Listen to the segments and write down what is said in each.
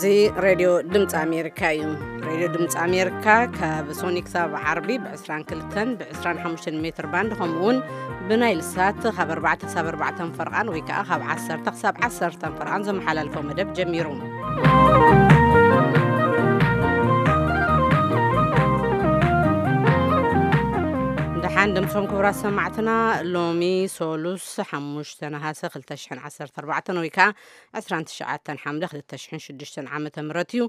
እዚ ሬድዮ ድምፂ ኣሜሪካ እዩ። ሬድዮ ድምፂ ኣሜሪካ ካብ ሶኒ ክሳብ ዓርቢ ብ22 ብ25 ሜትር ባንድ፣ ከምኡ እውን ብናይል ሳት ካብ ኣርባዕተ ክሳብ ኣርባዕተ ፈርቓን ወይ ከዓ ካብ ዓሰርተ ክሳብ ዓሰርተ ፈርቓን ዘመሓላልፎ መደብ ጀሚሩ። ደሓን ድምፆም ክቡራት ሰማዕትና፣ ሎሚ ሶሉስ ሓሙሽተ ነሃሰ ክልተ ሽሕን ዓሰርተ ኣርባዕተን ወይ ከዓ ዕስራን ትሽዓተን ሓምለ ክልተ ሽሕን ሽዱሽተን ዓመተ ምህረት እዩ።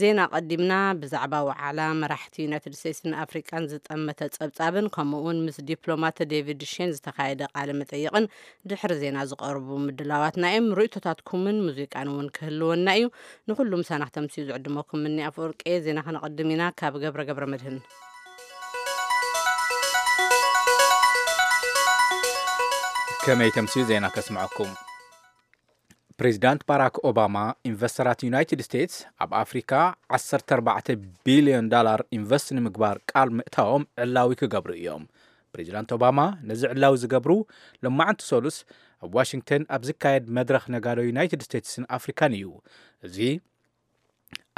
ዜና ቀዲምና ብዛዕባ ዋዕላ መራሕቲ ዩናይትድ ስቴትስን ኣፍሪቃን ዝጠመተ ጸብጻብን ከምኡ እውን ምስ ዲፕሎማት ዴቪድ ሼን ዝተኻየደ ቃለ መጠይቕን ድሕሪ ዜና ዝቐርቡ ምድላዋትና እዮም። ርእይቶታትኩምን ሙዚቃን እውን ክህልወና እዩ። ንኹሉ ምሳና ክተምስዩ ዝዕድመኩም ምኒ ኣፈወርቂ። ዜና ከነቐድም ኢና ካብ ገብረ ገብረ መድህን። ከመይ ተምስዩ ዜና ከስምዐኩም። ፕሬዚዳንት ባራክ ኦባማ ኢንቨስተራት ዩናይትድ ስቴትስ ኣብ ኣፍሪካ ዓሰርተ ኣርባዕተ ቢልዮን ዳላር ኢንቨስት ንምግባር ቃል ምእታዎም ዕላዊ ክገብሩ እዮም። ፕሬዚዳንት ኦባማ ነዚ ዕላዊ ዝገብሩ ሎማዕንቲ ሶሉስ ኣብ ዋሽንግተን ኣብ ዝካየድ መድረኽ ነጋዶ ዩናይትድ ስቴትስን ኣፍሪካን እዩ። እዚ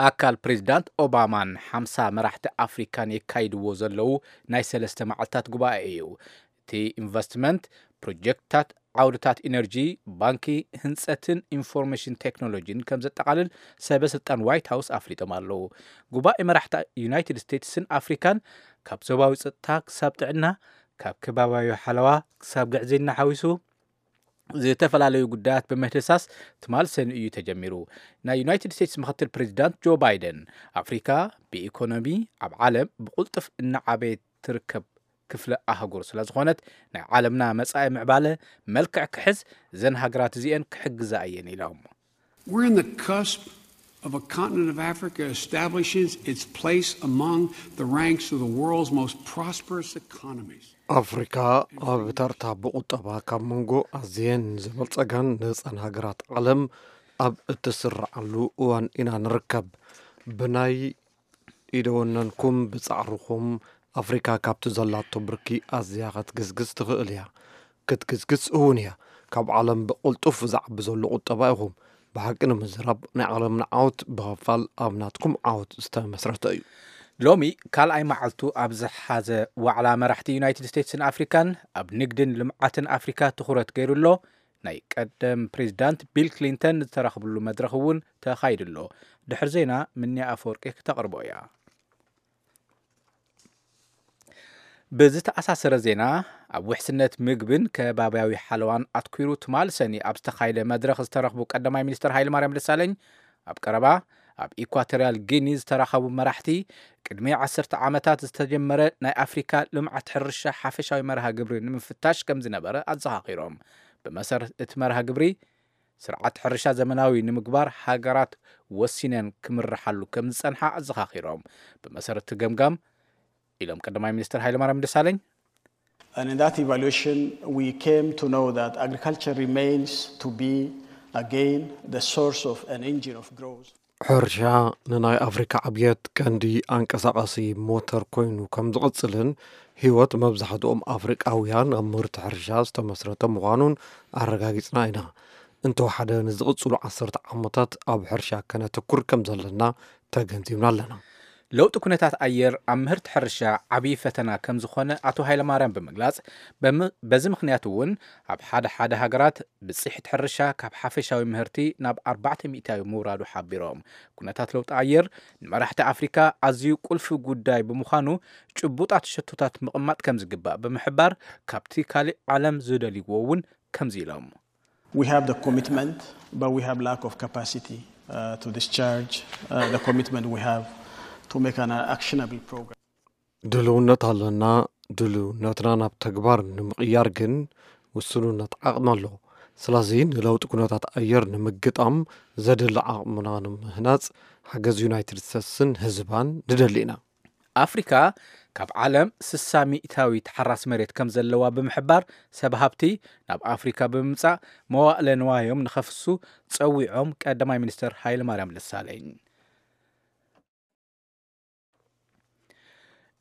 ኣካል ፕሬዚዳንት ኦባማን ሓምሳ መራሕቲ ኣፍሪካን የካይድዎ ዘለዉ ናይ ሰለስተ መዓልታት ጉባኤ እዩ። እቲ ኢንቨስትመንት ፕሮጀክትታት ዓውድታት ኢነርጂ፣ ባንኪ፣ ህንፀትን ኢንፎርሜሽን ቴክኖሎጂን ከም ዘጠቓልል ሰበ ስልጣን ዋይት ሃውስ ኣፍሊጦም ኣለዉ። ጉባኤ መራሕቲ ዩናይትድ ስቴትስን ኣፍሪካን ካብ ዞባዊ ፀጥታ ክሳብ ጥዕና፣ ካብ ከባቢያዊ ሓለዋ ክሳብ ግዕዝይና ሓዊሱ ዝተፈላለዩ ጉዳያት ብምድህሳስ ትማል ሰኑይ እዩ ተጀሚሩ። ናይ ዩናይትድ ስቴትስ ምክትል ፕሬዚዳንት ጆ ባይደን፣ ኣፍሪካ ብኢኮኖሚ ኣብ ዓለም ብቁልጡፍ እናዓበየት ትርከብ ክፍለ ኣህጉር ስለ ዝኾነት፣ ናይ ዓለምና መጻኢ ምዕባለ መልክዕ ክሕዝ እዘን ሃገራት እዚአን ክሕግዛ እየን ኢሎም። We're in the cusp of a continent of Africa establishing its place among the ranks of the world's most prosperous economies. ኣፍሪካ ኣብ ተርታ ብቁጠባ ካብ መንጎ ኣዝየን ዝበልጸጋን ነጻን ሃገራት ዓለም ኣብ እትስረዓሉ እዋን ኢና ንርከብ። ብናይ ኢደወነንኩም ብጻዕርኹም ኣፍሪካ ካብቲ ዘላቶ ብርኪ ኣዝያ ክትግስግስ ትኽእል እያ። ክትግስግስ እውን እያ። ካብ ዓለም ብቕልጡፍ ዝዓቢ ዘሎ ቁጠባ ኢኹም። ብሓቂ ንምዝራብ ናይ ዓለምና ዓወት ብኸፋል ኣብ ናትኩም ዓወት ዝተመስረተ እዩ። ሎሚ ካልኣይ መዓልቱ ኣብ ዝሓዘ ዋዕላ መራሕቲ ዩናይትድ ስቴትስን ኣፍሪካን ኣብ ንግድን ልምዓትን ኣፍሪካ ትኹረት ገይሩ ኣሎ። ናይ ቀደም ፕሬዚዳንት ቢል ክሊንተን ዝተረኽብሉ መድረኽ እውን ተኻይዱ ኣሎ። ድሕሪ ዜና ምንያ ኣፈወርቂ ክተቕርቦ እያ። ብዝተኣሳሰረ ዜና፣ ኣብ ውሕስነት ምግብን ከባብያዊ ሓለዋን ኣትኲሩ ትማል ሰኒ ኣብ ዝተኻየደ መድረኽ ዝተረኽቡ ቀዳማይ ሚኒስትር ሃይለማርያም ደሳለኝ፣ ኣብ ቀረባ ኣብ ኢኳቶርያል ጊኒ ዝተራኸቡ መራሕቲ፣ ቅድሚ ዓሰርተ ዓመታት ዝተጀመረ ናይ ኣፍሪካ ልምዓት ሕርሻ ሓፈሻዊ መርሃ ግብሪ ንምፍታሽ ከም ዝነበረ ኣዘኻኺሮም። ብመሰረት እቲ መርሃ ግብሪ፣ ስርዓት ሕርሻ ዘመናዊ ንምግባር ሃገራት ወሲነን ክምርሓሉ ከም ዝጸንሓ ኣዘኻኺሮም። ብመሰረት እቲ ገምጋም ኢሎም ቀዳማይ ሚኒስትር ሃይለማርያም ደሳለኝ። And in that evaluation, we came to know that agriculture remains to be, again, the source of an engine of growth. ሕርሻ ንናይ ኣፍሪካ ዕብየት ቀንዲ ኣንቀሳቓሲ ሞተር ኮይኑ ከም ዝቕጽልን ህይወት መብዛሕትኦም ኣፍሪቃውያን ኣብ ምህርቲ ሕርሻ ዝተመስረተ ምዃኑን ኣረጋጊጽና ኢና። እንተወሓደ ንዝቕጽሉ ዓሰርተ ዓመታት ኣብ ሕርሻ ከነተኩር ከም ዘለና ተገንዚብና ኣለና። ለውጢ ኩነታት ኣየር ኣብ ምህርቲ ሕርሻ ዓብዪ ፈተና ከም ዝኾነ ኣቶ ሃይለማርያም ብምግላጽ፣ በዚ ምኽንያት እውን ኣብ ሓደ ሓደ ሃገራት ብፅሒት ሕርሻ ካብ ሓፈሻዊ ምህርቲ ናብ ኣርባዕተ ሚእታዊ ምውራዱ ሓቢሮም። ኩነታት ለውጢ ኣየር ንመራሕቲ ኣፍሪካ ኣዝዩ ቁልፊ ጉዳይ ብምዃኑ ጭቡጣት ሸቶታት ምቕማጥ ከም ዝግባእ ብምሕባር፣ ካብቲ ካሊእ ዓለም ዝደልይዎ እውን ከምዚ ኢሎም። We have the commitment, but we have lack of capacity uh, to discharge uh, the commitment we have to make an actionable program. ድልውነት ኣለና። ድልውነትና ናብ ተግባር ንምቕያር ግን ውስኑነት ዓቕሚ ኣሎ። ስለዚ ንለውጢ ኩነታት ኣየር ንምግጣም ዘድሊ ዓቕምና ንምህናፅ ሓገዝ ዩናይትድ ስቴትስን ህዝባን ንደሊ ኢና። ኣፍሪካ ካብ ዓለም ስሳ ሚእታዊ ተሓራሲ መሬት ከም ዘለዋ ብምሕባር፣ ሰብ ሃብቲ ናብ ኣፍሪካ ብምምፃእ መዋእለ ንዋዮም ንኸፍሱ ፀዊዖም ቀዳማይ ሚኒስትር ሃይለማርያም ደሳለኝ።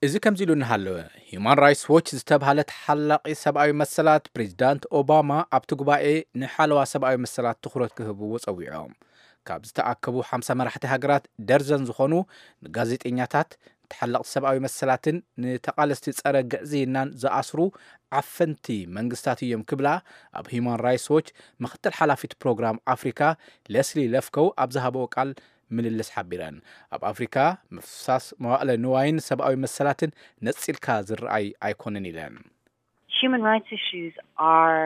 እዚ ከምዚ ኢሉ እናሃለወ፣ ሂዩማን ራይትስ ዎች ዝተብሃለ ተሓላቒ ሰብኣዊ መሰላት ፕሬዚዳንት ኦባማ ኣብቲ ጉባኤ ንሓለዋ ሰብኣዊ መሰላት ትኹረት ክህብዎ ጸዊዖም። ካብ ዝተኣከቡ ሓምሳ መራሕቲ ሃገራት ደርዘን ዝኾኑ ንጋዜጠኛታት፣ ንተሓለቕቲ ሰብኣዊ መሰላትን ንተቓለስቲ ጸረ ግዕዝይናን ዝኣስሩ ዓፈንቲ መንግስታት እዮም ክብላ ኣብ ሂዩማን ራይትስ ዎች ምክትል ሓላፊት ፕሮግራም ኣፍሪካ ለስሊ ለፍከው ኣብ ዝሃበኦ ቃል ምልልስ ሓቢረን። ኣብ ኣፍሪካ ምፍሳስ መዋእለ ንዋይን ሰብኣዊ መሰላትን ነጺልካ ዝረኣይ ኣይኮነን ኢለን። Human rights issues are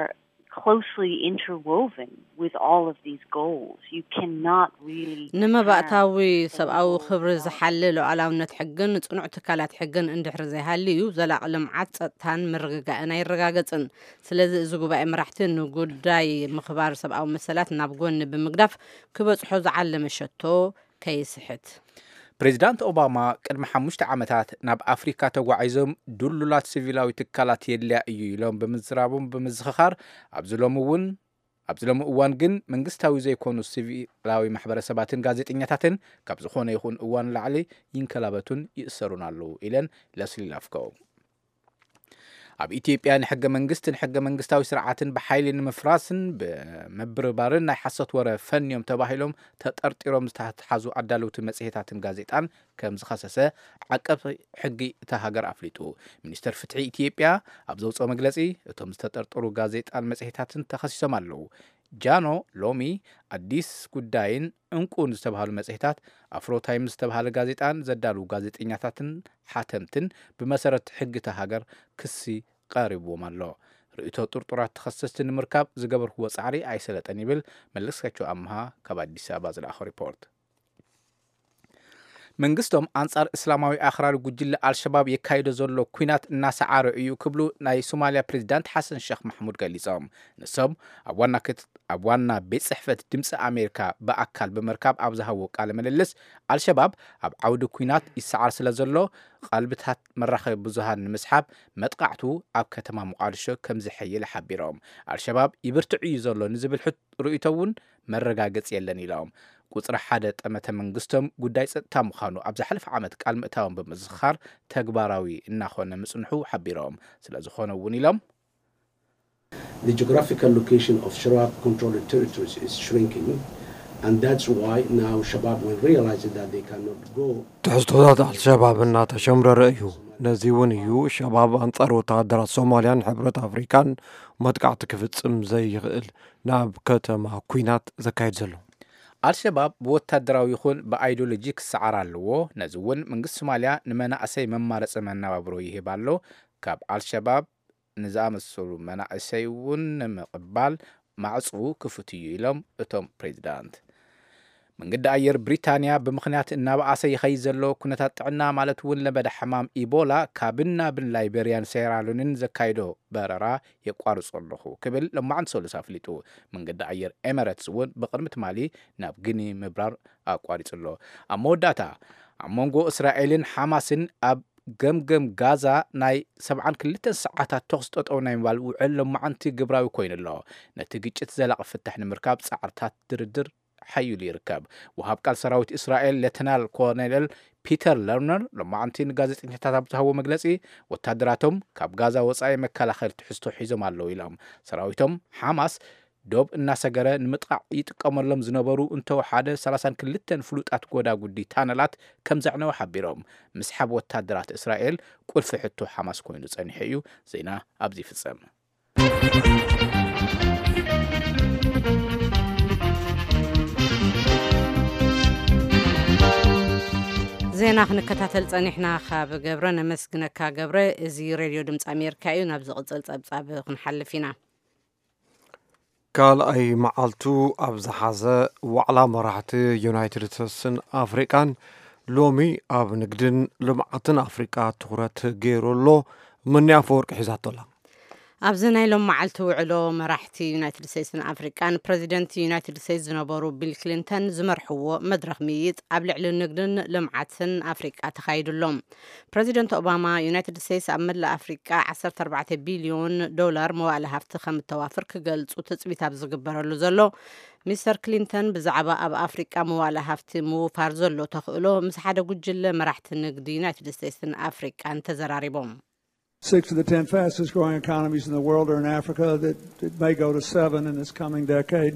closely interwoven with all of these goals. You cannot really ንምባእታዊ ሰብኣዊ ክብሪ ዝሓሊ ሉዓላውነት ሕግን ጽኑዕ ትካላት ሕግን እንድሕር ዘይሃልዩ ዘላቒ ልምዓት፣ ጸጥታን ምርግጋእን ኣይረጋገጽን። ስለዚ እዚ ጉባኤ መራሕቲ ንጉዳይ ምኽባር ሰብኣዊ መሰላት ናብ ጎኒ ብምግዳፍ ክበጽሖ ዝዓለመ ሸቶ ከይስሕት። ፕሬዚዳንት ኦባማ ቅድሚ ሓሙሽተ ዓመታት ናብ ኣፍሪካ ተጓዒዞም ድሉላት ሲቪላዊ ትካላት የድልያ እዩ ኢሎም ብምዝራቦም ብምዝኽኻር ኣብዚ ሎሚ እውን ኣብዚ ሎሚ እዋን ግን መንግስታዊ ዘይኮኑ ሲቪላዊ ማሕበረሰባትን ጋዜጠኛታትን ካብ ዝኾነ ይኹን እዋን ላዕሊ ይንከላበቱን ይእሰሩን ኣለዉ ኢለን ለስሊ ላፍኮ። ኣብ ኢትዮጵያ ንሕገ መንግስትን ሕገ መንግስታዊ ስርዓትን ብሓይሊ ንምፍራስን ብምብርባርን ናይ ሓሶት ወረ ፈንዮም ተባሂሎም ተጠርጢሮም ዝተሓዙ ኣዳለውቲ መጽሔታትን ጋዜጣን ከም ዝኸሰሰ ዓቃቢ ሕጊ እታ ሃገር ኣፍሊጡ። ሚኒስተር ፍትሒ ኢትዮጵያ ኣብ ዘውፅኦ መግለፂ እቶም ዝተጠርጠሩ ጋዜጣን መጽሔታትን ተኸሲሶም ኣለዉ። ጃኖ ሎሚ ኣዲስ ጉዳይን ዕንቁን ዝተባሃሉ መጽሔታት ኣፍሮ ታይምስ ዝተባሃለ ጋዜጣን ዘዳልዉ ጋዜጠኛታትን ሓተምትን ብመሰረት ሕጊ እታ ሃገር ክሲ ቀሪብዎም ኣሎ። ርእይቶ ጥርጡራት ተኸሰስቲ ንምርካብ ዝገበርክዎ ጻዕሪ ኣይሰለጠን ይብል መለስካቸው ኣምሃ ካብ ኣዲስ ኣበባ ዝለኣኾ ሪፖርት። መንግስቶም ኣንጻር እስላማዊ ኣኽራሪ ጉጅለ ኣልሸባብ የካይዶ ዘሎ ኲናት እናሰዓረ እዩ ክብሉ ናይ ሶማልያ ፕሬዚዳንት ሓሰን ሸኽ ማሕሙድ ገሊጾም። ንሶም ኣብ ዋና ኣብ ዋና ቤት ጽሕፈት ድምፂ ኣሜሪካ ብኣካል ብምርካብ ኣብ ዝሃብዎ ቃለ ምልልስ ኣልሸባብ ኣብ ዓውዲ ኲናት ይሰዓር ስለ ዘሎ ቀልብታት መራኸቢ ብዙሃን ንምስሓብ መጥቃዕቱ ኣብ ከተማ ሞቓድሾ ከም ዝሕይል ሓቢሮም። ኣልሸባብ ይብርትዕ እዩ ዘሎ ንዝብል ሕት ርእይቶ እውን መረጋገፂ የለን ኢሎም። ቁፅሪ ሓደ ጠመተ መንግስቶም ጉዳይ ፀጥታ ምዃኑ ኣብ ዝሓለፈ ዓመት ቃል ምእታዎም ብምዝኽኻር ተግባራዊ እናኾነ ምፅንሑ ሓቢሮም። ስለ ዝኾነ እውን ኢሎም The geographical location of Shabab controlled territories is shrinking, and that's why now Shabab, when realizing that they cannot go ትሕዝቶታት ኣልሸባብ እናተሸምረረ እዩ። ነዚ እውን እዩ ሸባብ ኣንጻር ወተሃደራት ሶማልያን ሕብረት ኣፍሪካን መጥቃዕቲ ክፍጽም ዘይኽእል ናብ ከተማ ኲናት ዘካይድ ዘሎ። ኣልሸባብ ብወታደራዊ ይኹን ብኣይዲዮሎጂ ክሰዓር ኣለዎ። ነዚ እውን መንግስቲ ሶማልያ ንመናእሰይ መማረፂ መነባብሮ ይህብ ኣሎ። ካብ ኣልሸባብ ንዝኣመሰሉ መናእሰይ እውን ንምቕባል ማዕፅኡ ክፉት እዩ ኢሎም እቶም ፕሬዚዳንት። መንገዲ ኣየር ብሪታንያ ብምኽንያት እናበኣሰ ይኸይድ ዘሎ ኩነታት ጥዕና ማለት እውን ለበዳ ሕማም ኢቦላ ካብን ናብን ላይቤርያን ሴራሉንን ዘካይዶ በረራ የቋርጾ ኣለኹ ክብል ሎማዕንቲ ሰሉስ ኣፍሊጡ። መንገዲ ኣየር ኤመረትስ እውን ብቕድሚ ትማሊ ናብ ግኒ ምብራር ኣቋሪጹ ኣሎ። ኣብ መወዳእታ ኣብ መንጎ እስራኤልን ሓማስን ኣብ ገምገም ጋዛ ናይ ሰብዓን ክልተን ሰዓታት ተኹስ ጠጠው ናይ ምባል ውዕል ሎማዕንቲ ግብራዊ ኮይኑ ኣሎ። ነቲ ግጭት ዘላቒ ፍታሕ ንምርካብ ጻዕርታት ድርድር ሓይሉ ይርከብ። ወሃብ ቃል ሰራዊት እስራኤል ሌተናል ኮሎኔል ፒተር ለርነር ሎማዕንቲ ንጋዜጠኛታት ኣብ ዝሃቦ መግለጺ ወታደራቶም ካብ ጋዛ ወጻኢ መከላኸሊ ትሕዝቶ ሒዞም ኣለዉ ኢሎም። ሰራዊቶም ሓማስ ዶብ እናሰገረ ንምጥቃዕ ይጥቀመሎም ዝነበሩ እንተወሓደ ሰላሳን ክልተን ፍሉጣት ጎዳጉዲ ታነላት ከም ዘዕነወ ሓቢሮም። ምስሓብ ወታደራት እስራኤል ቁልፊ ሕቶ ሓማስ ኮይኑ ጸኒሑ እዩ። ዜና ኣብዚ ይፍጸም። ዜና ክንከታተል ጸኒሕና ካብ ገብረ ነመስግነካ። ገብረ፣ እዚ ሬድዮ ድምፂ ኣሜሪካ እዩ። ናብ ዝቕፅል ፀብፃብ ክንሓልፍ ኢና። ካልኣይ መዓልቱ ኣብ ዝሓዘ ዋዕላ መራሕቲ ዩናይትድ ስቴትስን ኣፍሪቃን ሎሚ ኣብ ንግድን ልምዓትን ኣፍሪቃ ትኹረት ገይሩ ኣሎ። ምኒ ኣፈወርቂ ሒዛቶ ኣላ። ኣብዚ ናይ ሎም መዓልቲ ውዕሎ መራሕቲ ዩናይትድ ስቴትስን ኣፍሪቃን ፕረዚደንት ዩናይትድ ስቴትስ ዝነበሩ ቢል ክሊንተን ዝመርሕዎ መድረኽ ምይይጥ ኣብ ልዕሊ ንግድን ልምዓትን ኣፍሪቃ ተኻይዱ ኣሎ። ፕረዚደንት ኦባማ ዩናይትድ ስቴትስ ኣብ መላእ ኣፍሪቃ ዓሰርተ ኣርባዕተ ቢልዮን ዶላር መዋእለ ሃፍቲ ከም እተዋፍር ክገልጹ ትጽቢት ኣብ ዝግበረሉ ዘሎ ሚስተር ክሊንተን ብዛዕባ ኣብ ኣፍሪቃ መዋእለ ሃፍቲ ምውፋር ዘሎ ተኽእሎ ምስ ሓደ ጉጅለ መራሕቲ ንግዲ ዩናይትድ ስቴትስን ኣፍሪቃን ተዘራሪቦም። Six of the ten fastest growing economies in the world are in Africa, that it may go to seven in this coming decade.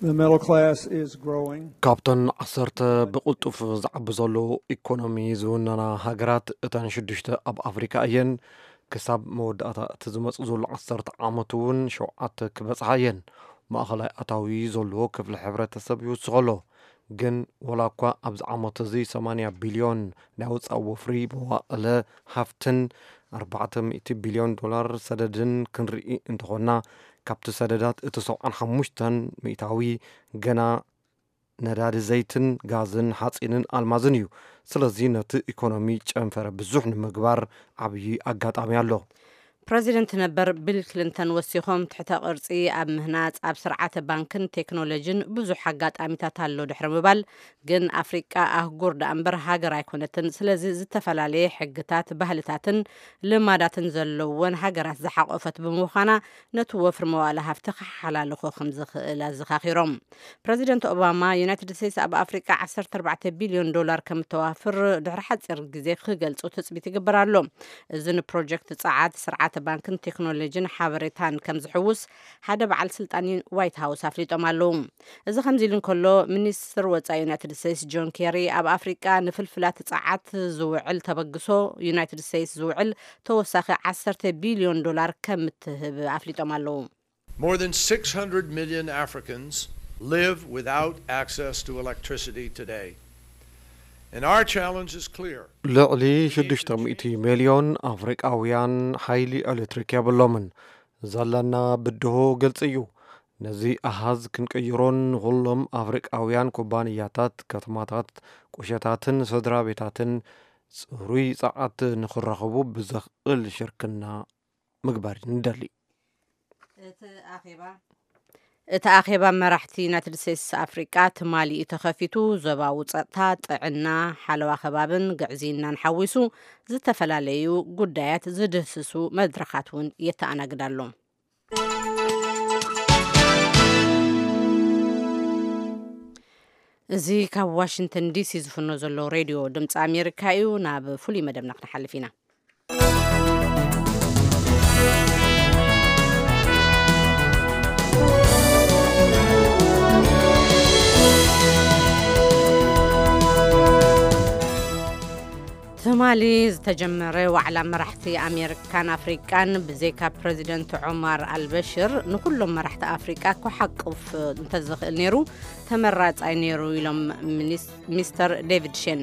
The middle class is growing. ካብተን ዓሰርተ ብቕልጡፍ ዝዓቢ ዘሎ ኢኮኖሚ ዝውነና ሃገራት እተን ሽዱሽተ ኣብ ኣፍሪካ እየን። ክሳብ መወዳእታ እቲ ዝመጽእ ዘሎ ዓሰርተ ዓመት እውን ሸውዓተ ክበጽሓ እየን። ማእኸላይ ኣታዊ ዘለዎ ክፍሊ ሕብረተሰብ ይውስኸ ኣሎ። ግን ወላ እኳ ኣብዚ ዓመት እዚ ሰማንያ ቢልዮን ናይ ወፃኢ ወፍሪ መዋእለ ሃፍትን ኣርባዕተ ሚእቲ ቢልዮን ዶላር ሰደድን ክንርኢ እንተኾንና፣ ካብቲ ሰደዳት እቲ ሰብዓን ሓሙሽተን ሚእታዊ ገና ነዳዲ ዘይትን ጋዝን ሓፂንን ኣልማዝን እዩ። ስለዚ ነቲ ኢኮኖሚ ጨንፈረ ብዙሕ ንምግባር ዓብዪ ኣጋጣሚ ኣሎ። ፕረዚደንት ነበር ቢል ክሊንተን ወሲኾም፣ ትሕተ ቅርጺ ኣብ ምህናጽ፣ ኣብ ስርዓተ ባንክን ቴክኖሎጂን ብዙሕ ኣጋጣሚታት ኣሎ ድሕሪ ምባል፣ ግን ኣፍሪቃ ኣህጉር ደኣ እምበር ሃገር ኣይኮነትን። ስለዚ ዝተፈላለየ ሕግታት፣ ባህልታትን ልማዳትን ዘለወን ሃገራት ዝሓቆፈት ብምዃና፣ ነቲ ወፍሪ መዋእለ ሃፍቲ ክሓላልኾ ከም ዝኽእል ኣዘኻኺሮም። ፕረዚደንት ኦባማ፣ ዩናይትድ ስቴትስ ኣብ ኣፍሪቃ ዓሰርተ ኣርባዕተ ቢልዮን ዶላር ከም እተዋፍር ድሕሪ ሓጺር ግዜ ክገልጹ ትጽቢት ይግበር ኣሎ። እዚ ንፕሮጀክት ጸዓት፣ ስርዓተ ባንክን ቴክኖሎጂን ሓበሬታን ከም ዝሕውስ ሓደ በዓል ስልጣን ዋይት ሃውስ ኣፍሊጦም ኣለዉ። እዚ ከምዚ ኢሉ እንከሎ፣ ሚኒስትር ወጻኢ ዩናይትድ ስቴትስ ጆን ኬሪ ኣብ ኣፍሪቃ ንፍልፍላት ጸዓት ዝውዕል ተበግሶ ዩናይትድ ስቴትስ ዝውዕል ተወሳኺ ዓሰርተ ቢልዮን ዶላር ከም እትህብ ኣፍሊጦም ኣለዉ። More than six hundred million Africans live without access to electricity today. And our challenge is clear. ልዕሊ ሽዱሽተ ሚእቲ ሚልዮን ኣፍሪቃውያን ሓይሊ ኤሌክትሪክ የብሎምን። ዘለና ብድሆ ግልጺ እዩ። ነዚ ኣሃዝ ክንቅይሮን ንኹሎም ኣፍሪቃውያን ኩባንያታት፣ ከተማታት፣ ቁሸታትን ስድራ ቤታትን ጽሩይ ጸዓት ንኽረኽቡ ብዘኽእል ሽርክና ምግባር ንደሊ። እቲ ኣኼባ መራሕቲ ዩናይትድ ስቴትስ ኣፍሪቃ ትማሊ እዩ ተኸፊቱ። ዞባዊ ጸጥታ፣ ጥዕና፣ ሓለዋ ከባብን ግዕዝይናን ሓዊሱ ዝተፈላለዩ ጉዳያት ዝድህስሱ መድረኻት እውን የተኣናግድ ኣሎ። እዚ ካብ ዋሽንግተን ዲሲ ዝፍኖ ዘሎ ሬድዮ ድምፂ ኣሜሪካ እዩ። ናብ ፍሉይ መደብና ክንሓልፍ ኢና። ትማሊ ዝተጀመረ ዋዕላ መራሕቲ ኣሜሪካን ኣፍሪቃን ብዘይካ ፕረዚደንት ዑማር ኣልበሽር ንኩሎም መራሕቲ ኣፍሪቃ ክሓቅፍ እንተዝኽእል ነይሩ ተመራጻይ ነይሩ ኢሎም ሚኒስ- ሚስተር ዴቪድ ሼን።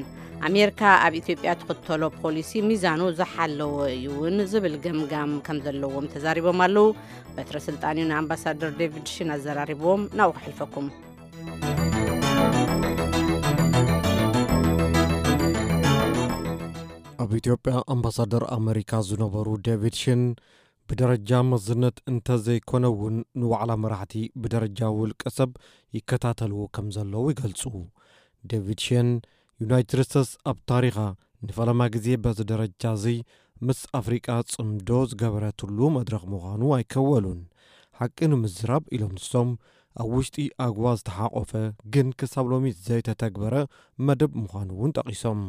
ኣሜሪካ ኣብ ኢትዮጵያ ትኽተሎ ፖሊሲ ሚዛኑ ዝሓለወ እዩ እውን ዝብል ገምጋም ከም ዘለዎም ተዛሪቦም ኣለዉ። በትረ ስልጣን እዩ ንኣምባሳደር ዴቪድ ሺን ኣዘራሪብዎም። ናብኡ ከሕልፈኩም። ኣብ ኢትዮጵያ ኣምባሳደር ኣመሪካ ዝነበሩ ዴቪድ ሽን ብደረጃ መዝነት እንተዘይኮነ እውን ንዋዕላ መራሕቲ ብደረጃ ውልቀ ሰብ ይከታተልዎ ከም ዘለዉ ይገልጹ። ዴቪድ ሽን ዩናይትድ ስቴትስ ኣብ ታሪኻ ንፈለማ ግዜ በዚ ደረጃ እዚ ምስ ኣፍሪቃ ጽምዶ ዝገበረትሉ መድረኽ ምዃኑ ኣይከወሉን። ሓቂ ንምዝራብ ኢሎም ንሶም ኣብ ውሽጢ ኣግዋ ዝተሓቆፈ ግን ክሳብ ሎሚ ዘይተተግበረ መደብ ምዃኑ እውን ጠቒሶም።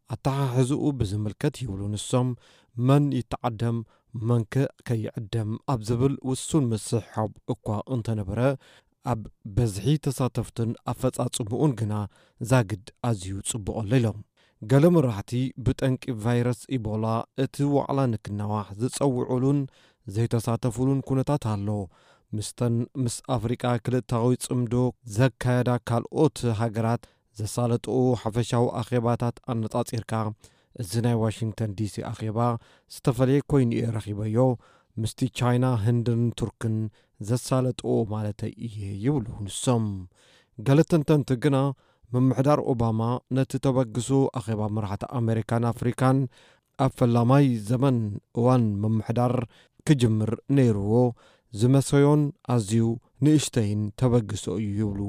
ኣተሓሕዝኡ ብዝምልከት ይብሉ ንሶም፣ መን ይተዓደም መንከ ከይዕደም ኣብ ዝብል ውሱን ምስሕሓብ እኳ እንተነበረ ኣብ በዝሒ ተሳተፍትን ኣፈጻጽምኡን ግና ዛግድ ኣዝዩ ጽቡቕ ኣሎ ኢሎም። ገለ መራሕቲ ብጠንቂ ቫይረስ ኢቦላ እቲ ዋዕላ ንክናዋሕ ዝጸውዑሉን ዘይተሳተፉሉን ኩነታት ኣሎ። ምስተን ምስ ኣፍሪቃ ክልታዊ ጽምዶ ዘካየዳ ካልኦት ሃገራት ዘሳለጥኡ ሓፈሻዊ ኣኼባታት ኣነጻጺርካ፣ እዚ ናይ ዋሽንግተን ዲሲ ኣኼባ ዝተፈለየ ኮይኑ እየ ረኺበዮ፣ ምስቲ ቻይና፣ ህንድን ቱርክን ዘሳለጥኡ ማለተይ እየ ይብሉ ንሶም። ገለ ተንተንቲ ግና ምምሕዳር ኦባማ ነቲ ተበግሶ ኣኼባ መራሕቲ ኣሜሪካን ኣፍሪካን ኣብ ፈላማይ ዘመን እዋን ምምሕዳር ክጅምር ነይርዎ ዝመሰዮን ኣዝዩ ንእሽተይን ተበግሶ እዩ ይብሉ።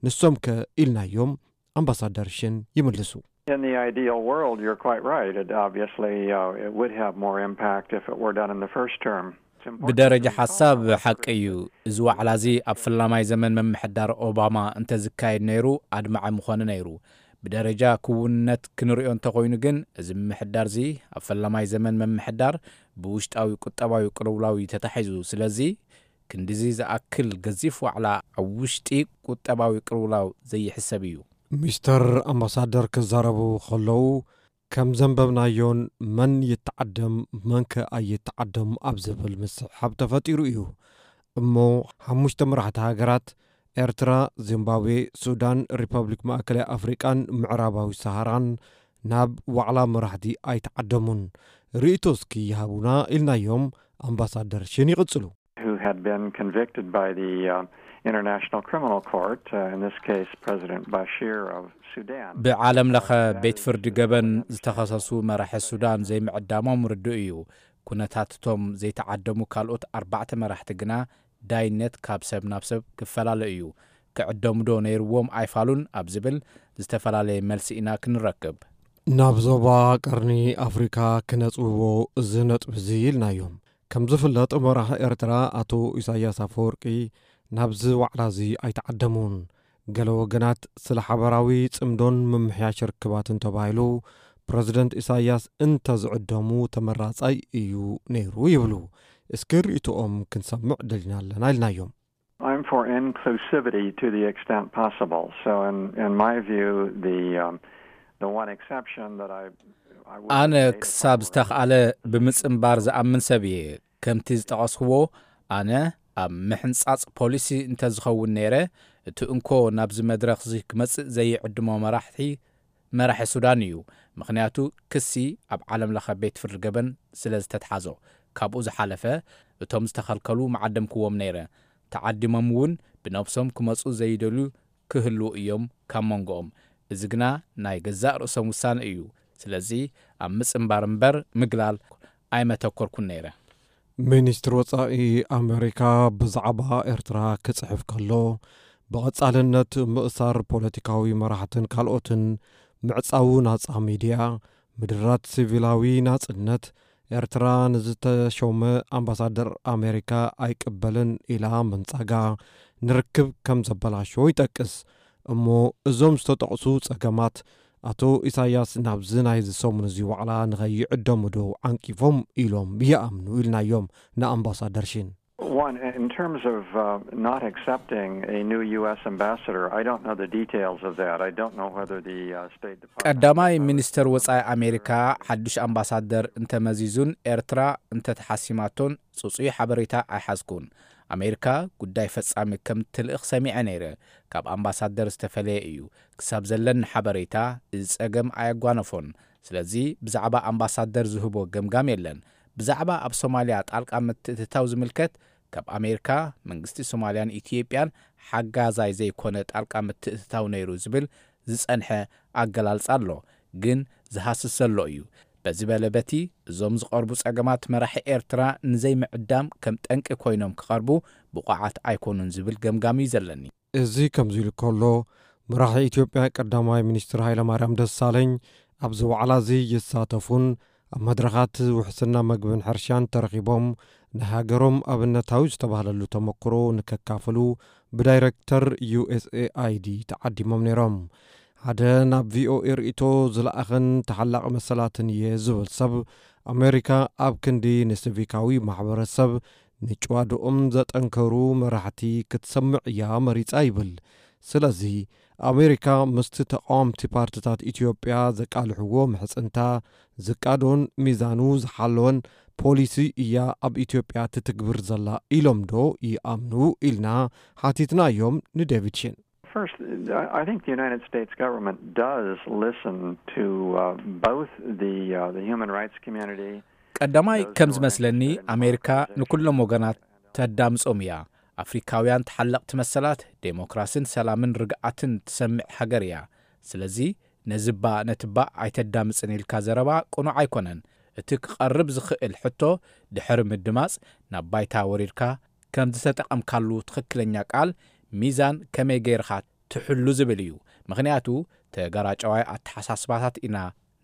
ንሶም ከ ኢልናዮም ኣምባሳደር ሽን ይምልሱ። In the ideal world, you're quite right. It obviously uh, it would have more impact if it were done in the first term. It's important ብደረጃ to ሓሳብ recall, however, ሓቂ እዩ። እዚ ዋዕላ እዚ ኣብ ፈላማይ ዘመን ምምሕዳር ኦባማ እንተዝካየድ ነይሩ ኣድማዒ ምኾነ ነይሩ። ብደረጃ ክውንነት ክንሪኦ እንተኾይኑ ግን፣ እዚ ምምሕዳር እዚ ኣብ ፈላማይ ዘመን ምምሕዳር ብውሽጣዊ ቁጠባዊ ቅልውላው እዩ ተታሒዙ። ስለዚ ክንድዚ ዝኣክል ገዚፍ ዋዕላ ኣብ ውሽጢ ቁጠባዊ ቅልውላው ዘይሕሰብ እዩ። ሚስተር ኣምባሳደር ክዛረቡ ከለዉ ከም ዘንበብናዮን መን ይተዓደም መንከ ኣይተዓደም ኣብ ዝብል ምስሕሓብ ተፈጢሩ እዩ። እሞ ሓሙሽተ መራሕቲ ሃገራት ኤርትራ፣ ዚምባብዌ፣ ሱዳን፣ ሪፐብሊክ ማእከላይ ኣፍሪቃን ምዕራባዊ ሰሃራን ናብ ዋዕላ መራሕቲ ኣይተዓደሙን። ርእይቶ እስኪ ይሃቡና ኢልናዮም። ኣምባሳደር ሽን ይቕጽሉ። who had been convicted by the uh, International Criminal Court, uh, in this case, President Bashir of Sudan. ብዓለም ለኸ ቤት ፍርዲ ገበን ዝተኸሰሱ መራሒ ሱዳን ዘይምዕዳሞም ርዱእ እዩ። ኩነታት እቶም ዘይተዓደሙ ካልኦት ኣርባዕተ መራሕቲ ግና ዳይነት ካብ ሰብ ናብ ሰብ ክፈላለ እዩ። ክዕደሙዶ ነይርዎም ኣይፋሉን ኣብ ዝብል ዝተፈላለየ መልሲ ኢና ክንረክብ። ናብ ዞባ ቀርኒ ኣፍሪካ ክነፅውዎ እዚ ነጥቢ እዚ ኢልናዮም። ከም ዝፍለጥ መራሕ ኤርትራ ኣቶ ኢሳያስ ኣፈወርቂ ናብዚ ዋዕላ እዚ ኣይተዓደሙን። ገለ ወገናት ስለ ሓበራዊ ጽምዶን ምምሕያሽ ርክባትን ተባሂሉ ፕረዚደንት ኢሳያስ እንተዝዕደሙ ተመራጻይ እዩ ነይሩ ይብሉ። እስኪ ርእይቶኦም ክንሰምዕ ደሊና ኣለና ኢልናዮም። I'm for inclusivity to the extent possible. So, in, in my view, the um, the one exception that I, I would ኣነ debate ክሳብ upon ዝተኽኣለ ብምጽንባር ዝኣምን ሰብ እየ። ከምቲ ዝጠቐስክዎ ኣነ ኣብ ምሕንጻጽ ፖሊሲ እንተዝኸውን ነይረ እቲ እንኮ ናብዚ መድረኽ እዚ ክመጽእ ዘይዕድሞ መራሕቲ መራሒ ሱዳን እዩ። ምኽንያቱ ክሲ ኣብ ዓለም ለኸ ቤት ፍርዲ ገበን ስለ ዝተትሓዞ። ካብኡ ዝሓለፈ እቶም ዝተኸልከሉ መዓደምክዎም ነይረ። ተዓዲሞም እውን ብነብሶም ክመጹ ዘይደልዩ ክህልዉ እዮም ካብ መንጎኦም። እዚ ግና ናይ ገዛእ ርእሶም ውሳነ እዩ። ስለዚ ኣብ ምጽንባር እምበር ምግላል ኣይመተኮርኩን ነይረ። ሚኒስትር ወጻኢ ኣሜሪካ ብዛዕባ ኤርትራ ክጽሕፍ ከሎ ብቐጻልነት ምእሳር ፖለቲካዊ መራሕትን ካልኦትን፣ ምዕጻው ናጻ ሚድያ፣ ምድራት ሲቪላዊ ናጽነት፣ ኤርትራ ንዝተሾመ ኣምባሳደር ኣሜሪካ ኣይቅበልን ኢላ ምንጻጋ ንርክብ ከም ዘበላሾ ይጠቅስ። እሞ እዞም ዝተጠቕሱ ጸገማት ኣቶ ኢሳያስ ናብዚ ናይዚ ሰሙን እዚ ዋዕላ ንኸይዕደሙ ዶ ዓንቂፎም ኢሎም ይኣምኑ ኢልናዮም ንኣምባሳደር ሺን። One, in terms of uh, not accepting a new U S ambassador, I don't know the details of that. I don't know whether the uh, State Department. ቀዳማይ ሚኒስተር ወጻኢ ኣሜሪካ ሓዱሽ ኣምባሳደር እንተመዚዙን ኤርትራ እንተተሓሲማቶን ጽጹይ ሓበሬታ ኣይሓዝኩን። ኣሜሪካ ጉዳይ ፈጻሚ ከም ትልእኽ ሰሚዐ ነይረ። ካብ ኣምባሳደር ዝተፈለየ እዩ። ክሳብ ዘለኒ ሓበሬታ እዚ ጸገም ኣየጓነፎን። ስለዚ ብዛዕባ ኣምባሳደር ዝህቦ ገምጋም የለን። ብዛዕባ ኣብ ሶማልያ ጣልቃ ምትእትታው ዝምልከት ካብ ኣሜሪካ መንግስቲ ሶማልያን ኢትዮጵያን ሓጋዛይ ዘይኮነ ጣልቃ ምትእትታው ነይሩ ዝብል ዝጸንሐ ኣገላልጻ ኣሎ፣ ግን ዝሃስስ ዘሎ እዩ። በዚ በለ በቲ እዞም ዝቐርቡ ጸገማት መራሒ ኤርትራ ንዘይምዕዳም ከም ጠንቂ ኮይኖም ክቐርቡ ብቑዓት ኣይኮኑን ዝብል ገምጋም እዩ ዘለኒ። እዚ ከምዚ ኢሉ ከሎ መራሒ ኢትዮጵያ ቀዳማይ ሚኒስትር ሃይለማርያም ደሳለኝ ኣብዚ ዋዕላ እዚ ይሳተፉን ኣብ መድረኻት ውሕስና መግብን ሕርሻን ተረኺቦም ናይ ሃገሮም ኣብነታዊ ዝተባህለሉ ተመክሮ ንከካፍሉ ብዳይረክተር ዩ ኤስ ኤ ኣይ ዲ ተዓዲሞም ነይሮም። ሓደ ናብ ቪ ኦ ኤ ርእይቶ ዝለኣኸን ተሓላቒ መሰላትን እየ ዝብል ሰብ ኣሜሪካ ኣብ ክንዲ ንሲቪካዊ ማሕበረሰብ ንጭዋድኦም ዘጠንከሩ መራሕቲ ክትሰምዕ እያ መሪጻ ይብል። ስለዚ ኣሜሪካ ምስቲ ተቃወምቲ ፓርትታት ኢትዮጵያ ዘቃልሕዎ ምሕጽንታ ዝቃዶን ሚዛኑ ዝሓለወን ፖሊሲ እያ ኣብ ኢትዮጵያ ትትግብር ዘላ ኢሎም ዶ ይኣምኑ ኢልና ሓቲትናዮም ንዴቪድ ሽን። First, I think the United States government does listen to uh, both the uh, the human rights community. ቀዳማይ ከም ዝመስለኒ ኣሜሪካ ንኩሎም ወገናት ተዳምጾም እያ። ኣፍሪካውያን ተሓለቕቲ መሰላት ዴሞክራሲን ሰላምን ርግኣትን ትሰምዕ ሃገር እያ። ስለዚ ነዚ እባ ነቲ እባ ኣይተዳምጽን ኢልካ ዘረባ ቅኑዕ ኣይኮነን። እቲ ክቐርብ ዝኽእል ሕቶ ድሕሪ ምድማጽ ናብ ባይታ ወሪድካ ከም ዝተጠቐምካሉ ትኽክለኛ ቃል ሚዛን ከመይ ገይርኻ ትሕሉ ዝብል እዩ። ምኽንያቱ ተጋራጨዋይ ኣተሓሳስባታት ኢና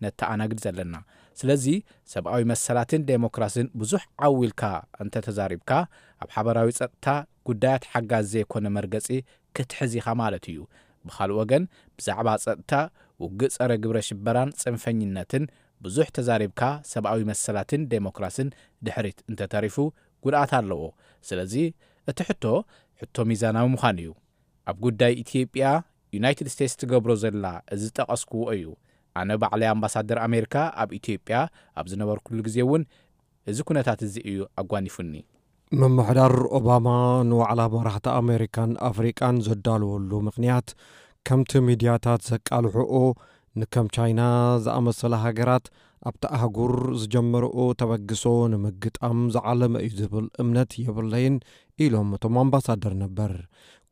ነተኣናግድ ዘለና። ስለዚ ሰብኣዊ መሰላትን ዴሞክራሲን ብዙሕ ዓው ኢልካ እንተተዛሪብካ ኣብ ሓበራዊ ጸጥታ ጉዳያት ሓጋዚ ዘይኮነ መርገጺ ክትሕዝ ኢኻ ማለት እዩ። ብኻልእ ወገን ብዛዕባ ጸጥታ፣ ውግእ ጸረ ግብረ ሽበራን ጽንፈኝነትን ብዙሕ ተዛሪብካ ሰብኣዊ መሰላትን ዴሞክራሲን ድሕሪት እንተተሪፉ ጉድኣት ኣለዎ። ስለዚ እቲ ሕቶ፣ ሕቶ ሚዛናዊ ምዃን እዩ። ኣብ ጉዳይ ኢትዮጵያ፣ ዩናይትድ ስቴትስ ትገብሮ ዘላ እዚ ዝጠቐስክዎ እዩ። ኣነ ባዕለይ ኣምባሳደር ኣሜሪካ ኣብ ኢትዮጵያ ኣብ ዝነበርኩሉ ግዜ እውን፣ እዚ ኩነታት እዚ እዩ ኣጓኒፉኒ። ምምሕዳር ኦባማ ንዋዕላ መራሕቲ ኣሜሪካን ኣፍሪቃን ዘዳለወሉ ምኽንያት፣ ከምቲ ሚድያታት ዘቃልሕኦ፣ ንከም ቻይና ዝኣመሰላ ሃገራት ኣብቲ ኣህጉር ዝጀመርኦ ተበግሶ ንምግጣም ዝዓለመ እዩ ዝብል እምነት የብለይን ኢሎም እቶም ኣምባሳደር ነበር።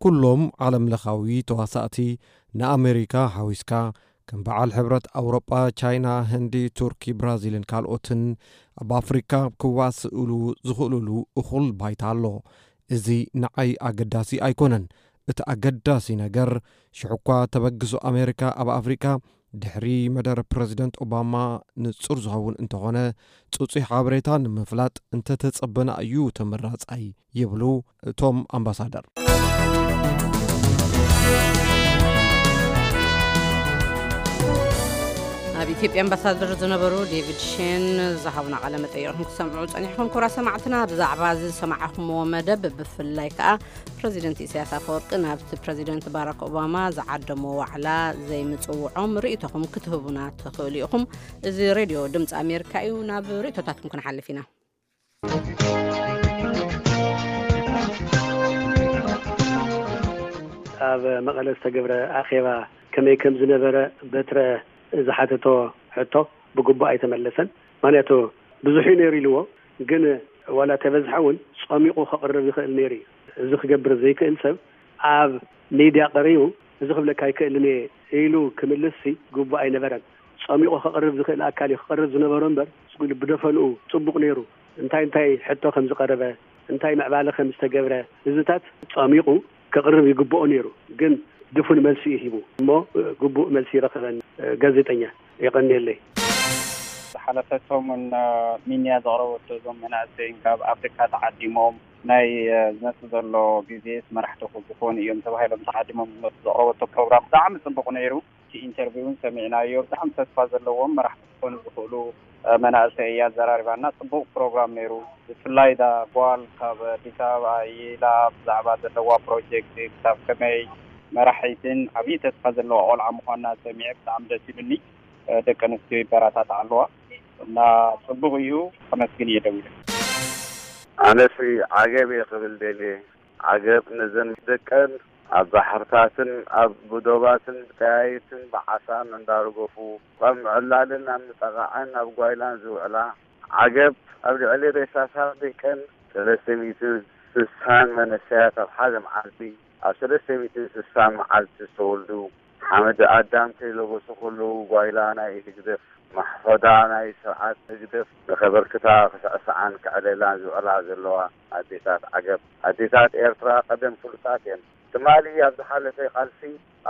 ኩሎም ዓለምለኻዊ ተዋሳእቲ ንኣሜሪካ ሓዊስካ ከም በዓል ሕብረት ኣውሮጳ፣ ቻይና፣ ህንዲ፣ ቱርኪ፣ ብራዚልን ካልኦትን ኣብ ኣፍሪካ ክዋስእሉ ዝኽእሉሉ እኹል ባይታ ኣሎ። እዚ ንዓይ ኣገዳሲ ኣይኮነን። እቲ ኣገዳሲ ነገር ሽሕኳ ተበግሶ ኣሜሪካ ኣብ ኣፍሪካ ድሕሪ መደረ ፕረዚደንት ኦባማ ንጹር ዝኸውን እንተኾነ፣ ጽጹይ ሓበሬታ ንምፍላጥ እንተተጸበና እዩ ተመራጻይ ይብሉ እቶም ኣምባሳደር። ኣብ ኢትዮጵያ ኣምባሳደር ዝነበሩ ዴቪድ ሼን ዝሃቡና ቃለ መጠይቕኩም ክሰምዑ ጸኒሕኩም። ክቡራት ሰማዕትና፣ ብዛዕባ እዚ ዝሰማዕኹምዎ መደብ፣ ብፍላይ ከኣ ፕረዚደንት ኢሳያስ ኣፈወርቂ ናብቲ ፕረዚደንት ባራክ ኦባማ ዝዓደሞ ዋዕላ ዘይምጽውዖም ርእይቶኹም ክትህቡና ትኽእሉ ኢኹም። እዚ ሬድዮ ድምፂ ኣሜሪካ እዩ። ናብ ርእይቶታትኩም ክንሓልፍ ኢና። ኣብ መቐለ ዝተገብረ ኣኼባ ከመይ ከም ዝነበረ በትረ ዝሓተቶ ሕቶ ብግቡእ ኣይተመለሰን። ምክንያቱ ብዙሕ እዩ ነይሩ ኢልዎ፣ ግን ዋላ ተበዝሐ እውን ጸሚቑ ከቕርብ ይኽእል ነይሩ እዩ። እዚ ክገብር ዘይክእል ሰብ ኣብ ሚድያ ቀሪቡ እዚ ክብለካ ኣይክእልን እየ ኢሉ ክምልስ ሲ ግቡእ ኣይነበረን። ጸሚቑ ከቕርብ ዝኽእል ኣካል እዩ ክቐርብ ዝነበሮ እምበር፣ ስቕ ኢሉ ብደፈንኡ ጽቡቕ ነይሩ፣ እንታይ እንታይ ሕቶ ከም ዝቐረበ፣ እንታይ ምዕባለ ከም ዝተገብረ፣ እዚታት ጸሚቑ ከቕርብ ይግብኦ ነይሩ። ግን ድፉን መልሲ እዩ ሂቡ እሞ ግቡእ መልሲ ይረኸበን። ጋዜጠኛ የቐንየለይ። ዝሓለፈ ሰሙን ሚንያ ዘቕረበቶ እዞም መናእሰይን ካብ ኣፍሪካ ተዓዲሞም ናይ ዝመፅእ ዘሎ ግዜስ መራሕቲ ክኾኑ እዮም ተባሂሎም ተዓዲሞም ዝመፁ ዘቕረበቶ ፕሮግራም ብጣዕሚ ፅቡቕ ነይሩ። እቲ ኢንተርቪው እውን ሰሚዕናዮ። ብጣዕሚ ተስፋ ዘለዎም መራሕቲ ክኾኑ ዝኽእሉ መናእሰይ እያ ኣዘራሪባና። ፅቡቕ ፕሮግራም ነይሩ። ብፍላይ እዛ ጓል ካብ ኣዲስ ኣበባ ኢላ ብዛዕባ ዘለዋ ፕሮጀክት ክሳብ ከመይ መራሒትን ዓብዪ ተስፋ ዘለዋ ቆልዓ ምዃና ሰሚዐ ብጣዕሚ ደስ ኢሉኒ። ደቂ ኣንስትዮ ይበራታታዓ ኣለዋ እና ፅቡቕ እዩ። ከመስግን እየ ደዊለ። ኣነሲ ዓገብ እየ ክብል ደልየ። ዓገብ ነዘን ደቀን ኣብ ባሕርታትን ኣብ ዶባትን ብጠያይትን ብዓሳን እንዳረገፉ ኣብ ምዕላልን ኣብ ምጠቓዕን ኣብ ጓይላን ዝውዕላ፣ ዓገብ ኣብ ልዕሊ ሬሳታት ደቀን ሰለስተ ሚእትን ስሳን መነሰያት ኣብ ሓደ መዓልቲ ኣብ ሰለስተ ሚእትን ስሳን መዓልቲ ዝተወልዱ፣ ሓመድ ኣዳም ከይለበሱ ከለዉ ጓይላ ናይ ህግደፍ፣ ማሕፈዳ ናይ ስርዓት ህግደፍ ንኸበርክታ ክስዕስዓን ከዕለላን ዝውዕላ ዘለዋ ኣዴታት ዓገብ፣ ኣዴታት ኤርትራ ቀደም ፍሉጣት እየን። ትማሊ ኣብ ዝሓለፈ ቃልሲ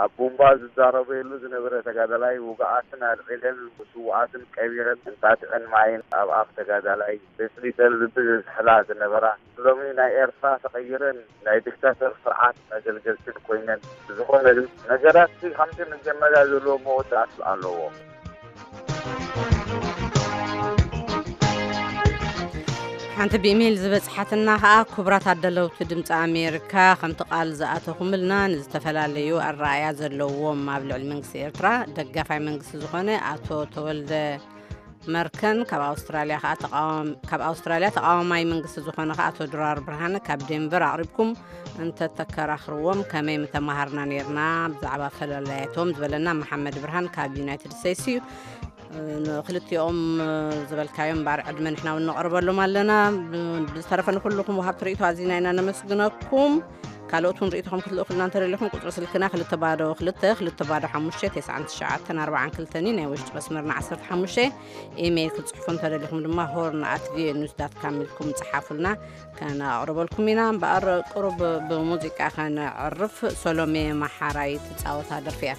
ኣብ ቡምባ ዝዛረበሉ ዝነበረ ተጋዳላይ ውጉኣትን ኣልዒለን ስዉኣትን ቀቢረን እንጣጢዐን ማይን ኣብ ኣፍ ተጋዳላይ ተስሊጠን ልቢ ዘዝሕላ ዝነበራ ሎሚ ናይ ኤርትራ ተቐይረን ናይ ዲክታተር ስርዓት መገልገልትን ኮይነን። ብዝኾነ ግን ነገራት ከምቲ መጀመርያ ዘለዎ መወዳእታ ኣለዎ። ሓንቲ ብኢሜይል ዝበጽሓትና ከኣ፣ ክቡራት ኣዳለውቲ ድምፂ ኣሜሪካ፣ ከምቲ ቃል ዝኣተኹምልና ንዝተፈላለዩ ኣረኣእያ ዘለዎም ኣብ ልዕሊ መንግስቲ ኤርትራ ደጋፋይ መንግስቲ ዝኾነ ኣቶ ተወልደ መርከን፣ ካብ ኣውስትራልያ ከኣ ተቃዋም-፣ ካብ ኣውስትራልያ ተቃዋማይ መንግስቲ ዝኾነ ከኣ ኣቶ ድራር ብርሃነ ካብ ዴንቨር ኣቕሪብኩም እንተተከራኽርዎም ከመይ ምተመሃርና ነይርና ብዛዕባ ፈላላያቶም ዝበለና መሓመድ ብርሃን ካብ ዩናይትድ ስቴትስ እዩ። ንክልቲኦም ዝበልካዮም እምበኣር ዕድመ ንሕና እውን ነቕርበሎም ኣለና። ብዝተረፈ ንኩልኹም ወሃብቲ ርእይቶ ኣዚና ኢና ነመስግነኩም። ካልኦት እውን ርእይቶኹም ክትልእኹልና እንተደሊኹም ቁፅሪ ስልክና ክልተ ባዶ ክልተ ክልተ ባዶ ሓሙሽተ ተስዓን ትሽዓተን ኣርባዓን ክልተን እዩ። ናይ ውሽጢ መስመርና ዓሰርተ ሓሙሽተ። ኢሜይል ክትፅሕፉ እንተደሊኹም ድማ ሆርን ኣት ቪኦኤ ኒውስ ዳት ካም ኢልኩም ፀሓፉልና፣ ከነቕርበልኩም ኢና። እምበኣር ቁሩብ ብሙዚቃ ከነዕርፍ። ሶሎሜ መሓራይ ትፃወታ ደርፊ እያ።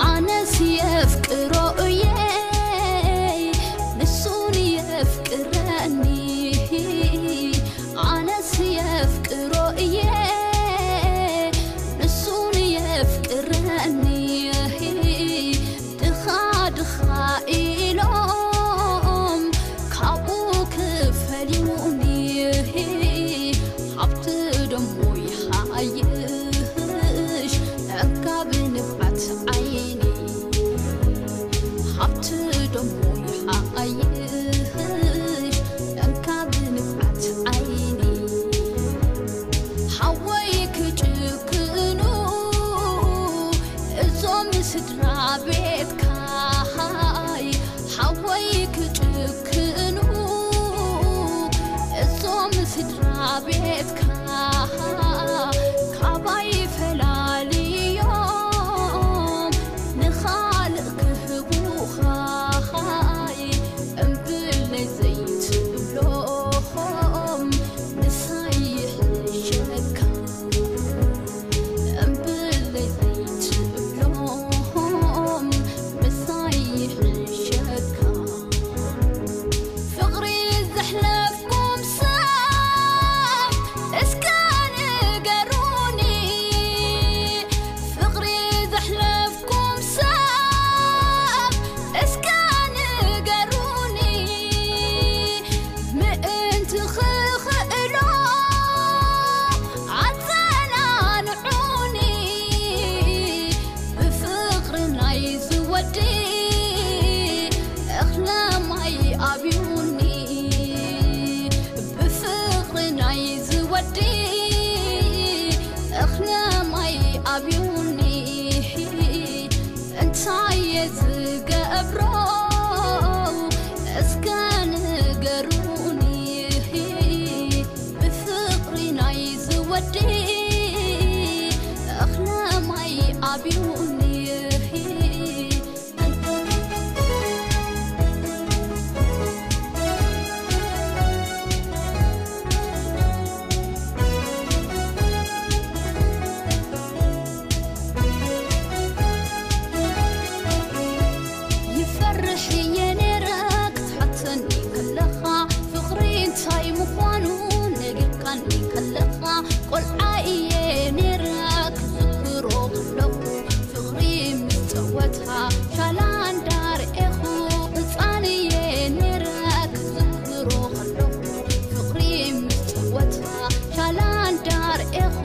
ኣነስ የፍቅሮ እየ ንሱን የፍቅረኒ ኣነስ የፍቅሮ እየ ንሱን የፍቅረኒ ስድራ ቤትካ ካባይ ፈላልዮም ንኻልእ ክህቡኻ እምብለይ ዘይትብሎም ምሳይ ይሕሸካ። እምብለይ ዘይትብሎም ምሳይ ይሕሸካ። ፍቕሪ ዘሕለፍኩም ሰብ እስከ ንገሩኒ። ፍቕሪ ዘሕለፍኩም ሰብ እስከ ንገሩኒ። ምእንቲ ክኽእሎ ኣጸናንዑኒ። ብፍቕሪ ናይ ዝወዲ እኽለ ማይ ኣብዩኒ። ብፍቕሪ ናይ ዝወዲ እኽለ ማይ ኣብዩኒ። እንታይ እየ ዝገብሮ እስከ ንገሩኒ። ብፍቕሪ ናይ ዝወዲ እኽለ ማይ ኣብዩኒ። ይፈርሕ እየ ነይረ ክትሓተኒ ከለኻ፣ ፍቕሪ እንታይ ምዃኑ ነጊርካኒ ከለኻ፣ ቆልዓ እየ ነይረ ክዝክሮ ከለኹ፣ ፍቕሪ ምስ ጸወታ ሻላ እንዳርኤኹ፣ ህጻን እየ ነይረ ክዝክሮ ከለኹ፣ ፍቕሪ ምስ ጸወታ ሻላ እንዳርኤኹ።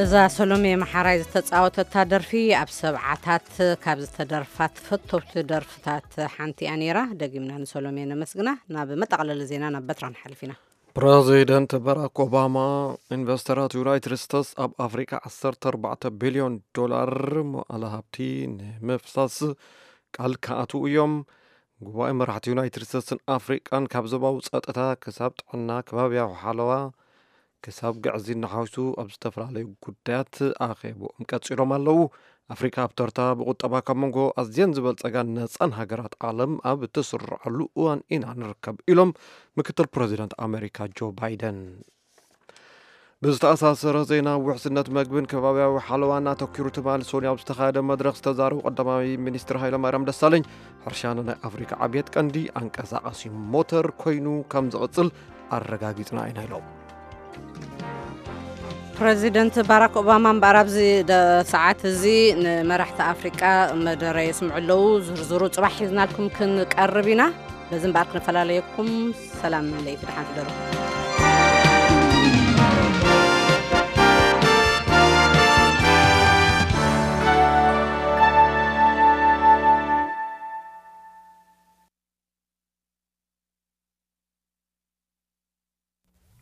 እዛ ሰሎሜ መሓራይ ዝተጻወተታ ደርፊ ኣብ ሰብዓታት ካብ ዝተደርፋ ተፈተውቲ ደርፍታት ሓንቲ እያ ነይራ። ደጊምና ንሰሎሜ ነመስግና። ናብ መጠቓለሊ ዜና ናብ በትራ ንሓልፍ ኢና። ፕረዚደንት ባራክ ኦባማ፣ ኢንቨስተራት ዩናይትድ ስቴትስ ኣብ ኣፍሪቃ ዓሰርተ ኣርባዕተ ቢልዮን ዶላር መዋእለ ሃብቲ ንምፍሳስ ቃል ክኣትዉ እዮም። ጉባኤ መራሕቲ ዩናይትድ ስቴትስን ኣፍሪቃን ካብ ዞባዊ ጸጥታ ክሳብ ጥዕና፣ ከባብያዊ ሓለዋ፣ ክሳብ ግዕዝይና ሓዊሱ ኣብ ዝተፈላለዩ ጉዳያት ኣኼብኦም ቀጺሎም ኣለዉ። ኣፍሪቃ ኣብ ተርታ ብቁጠባ ካብ መንጎ ኣዝየን ዝበልጸጋን ነጻን ሃገራት ዓለም ኣብ እትስርዓሉ እዋን ኢና ንርከብ ኢሎም ምክትል ፕረዚደንት ኣሜሪካ ጆ ባይደን። ብዝተኣሳሰረ ዜና፣ ውሕስነት መግብን ከባብያዊ ሓለዋን ኣተኲሩ ትማሊ ሰኑይ ኣብ ዝተኻየደ መድረኽ ዝተዛረቡ ቀዳማይ ሚኒስትር ሃይለማርያም ደሳለኝ፣ ሕርሻ ንናይ ኣፍሪካ ዕብየት ቀንዲ ኣንቀሳቓሲ ሞተር ኮይኑ ከም ዝቕጽል ኣረጋጊጽና ኢና ኢሎም። ፕረዚደንት ባራክ ኦባማ እምበኣር ኣብዚ ደ-፣ ሰዓት እዚ ንመራሕቲ ኣፍሪቃ መደረ የስምዑ ኣለዉ። ዝርዝሩ ጽባሕ ሒዝናልኩም ክንቀርብ ኢና። በዚ እምበኣር ክንፈላለየኩም፣ ሰላም ለይቲ ደሓን ትደሩ።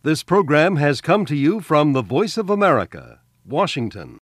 This program has come to you from the Voice of America, Washington.